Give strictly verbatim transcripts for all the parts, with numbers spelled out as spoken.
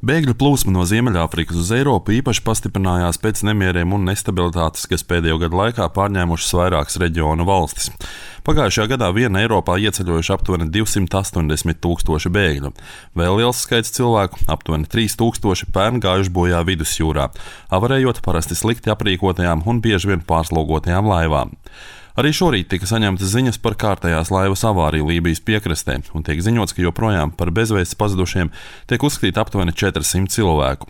Bēgļu plūsma no Ziemeļāfrikas uz Eiropu īpaši pastiprinājās pēc nemieriem un nestabilitātes, kas pēdējo gadu laikā pārņēmušas vairākas reģionu valstis. Pagājušajā gadā vien Eiropā ieceļojuši aptuveni divsimt astoņdesmit tūkstoši bēgļu. Vēl liels skaits cilvēku, aptuveni trīs tūkstoši, pērn gājuši bojā vidusjūrā, avarējot parasti slikti aprīkotajām un bieži vien pārslogotajām laivām. Arī šorīt tika saņemtas ziņas par kārtējās laivas avāriju Lībijas piekrastē, un tiek ziņots, ka joprojām par bezvēsts pazudušiem tiek uzskatīti aptuveni četrsimt cilvēku.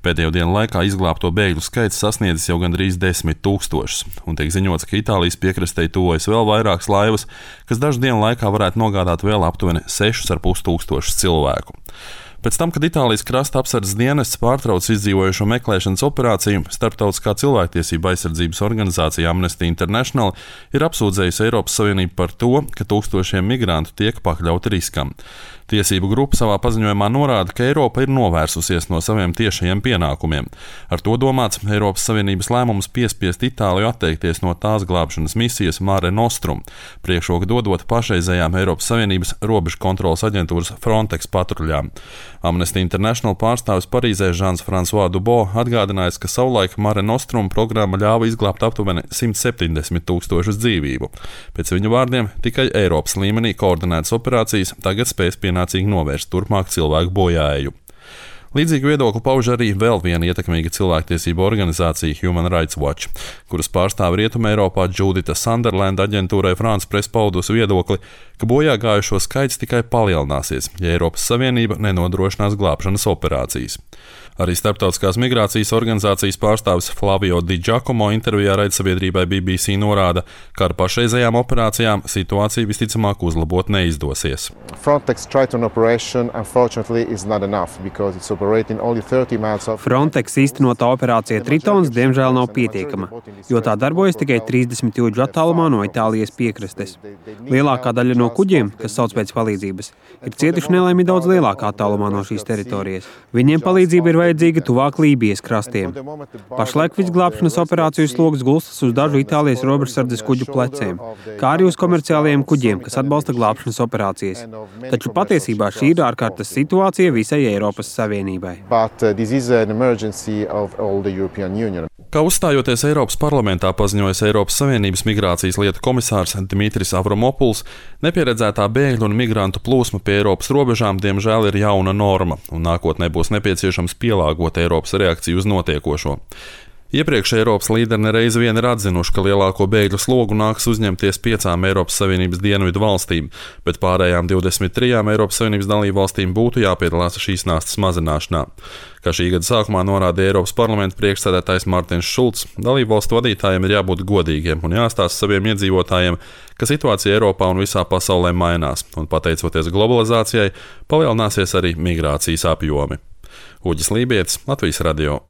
Pēdējo dienu laikā izglābto bēgļu skaits sasniedzis jau gandrīz desmit tūkstošus, un tiek ziņots, ka Itālijas piekrastei tuvojas vēl vairākas laivas, kas dažu dienu laikā varētu nogādāt vēl aptuveni sešus ar pus tūkstošus cilvēku. Pēc tam, kad Itālijas krasta apsardzes dienests pārtrauca izdzīvojušo meklēšanas operāciju, Starptautiskā cilvēktiesība aizsardzības organizācija Amnesty International ir apsūdzējusi Eiropas Savienību par to, ka tūkstošiem migrantu tiek pakļauti riskam. Tiesību grupa savā paziņojumā norāda, ka Eiropa ir novērsusies no saviem tiešajiem pienākumiem. Ar to domāts Eiropas Savienības lēmums piespiest Itāliju atteikties no tās glābšanas misijas Mare Nostrum, priekšroku dodot pašreizējām Eiropas Savienības robežu kontroles aģentūras Frontex patruļām. Amnesty International pārstāvis Parīzē Žans Fransuā Dubo atgādinājis, ka savulaik Mare Nostrum programma ļāva izglābt aptuveni simt septiņdesmit tūkstošus dzīvību. Pēc viņu vārdiem, tikai Eiropas līmenī koordinētas operācijas tagad spēs pienācīgi novērst turpmāk cilvēku bojāēju. Līdzīgu viedokli pauž arī vēl viena ietekmīga cilvēktiesību organizācija Human Rights Watch, kuras pārstāve Rietumē Eiropā Judita Sunderland aģentūrai France Press paudusi viedokli, ka bojā gājušo skaits tikai palielināsies, ja Eiropas Savienība nenodrošinās glābšanas operācijas. Arī Starptautiskās migrācijas organizācijas pārstāvis Flavio Di Giacomo intervijā raidsabiedrībai B B C norāda, ka ar pašreizējām operācijām situācija visticamāk uzlabot neizdosies. Frontex Triton operation unfortunately is not enough because it's operating only thirty miles off. Frontex īstenotā operācija Tritons diemžēl nav pietiekama, jo tā darbojas tikai trīsdesmit jūdžu attālumā no Itālijas piekrastes. Lielākā daļa no kuģiem, kas sauc pēc palīdzības, ir cietuši nelaimi daudz lielākā attālumā no šīs teritorijas. Viņiem palīdzība ir vajadzīga tuvāk Lībijas krastiem. Pašlaik visglābšanas operāciju sloks gulstas uz dažu Itālijas robežsardzes kuģu pleciem, kā arī uz komerciālajiem kuģiem, kas atbalsta glābšanas operācijas. Taču patiesībā šī ir ārkārtas situācija visai Eiropas Savienībai. Kā uzstājoties Eiropas parlamentā paziņojas Eiropas Savienības migrācijas lietu komisārs Dimitris Avramopuls, nepieredzētā bēgļu un migrantu plūsma pie Eiropas robežām diemžēl ir jauna norma, un nākotnē būs nepieciešams pielāgot Eiropas reakciju uz notiekošo. Iepriekš Eiropas līderi nereiz vien ir atzinuši, ka lielāko bēgļu slogu nāks uzņemties piecām Eiropas Savienības dienvidu valstīm, bet pārējām divdesmit trijām Eiropas Savienības dalību valstīm būtu jāpiedalās šīs nastas mazināšanā. Kā šī gada sākumā norādīja Eiropas parlamenta priekšsēdētājs Mārtiņš Šulcs, dalību valstu vadītājiem ir jābūt godīgiem un jāstāsta saviem iedzīvotājiem, ka situācija Eiropā un visā pasaulē mainās, un pateicoties globalizācijai, palielināsies arī migrācijas apjomi. Uģis Lībietis, Latvijas radio.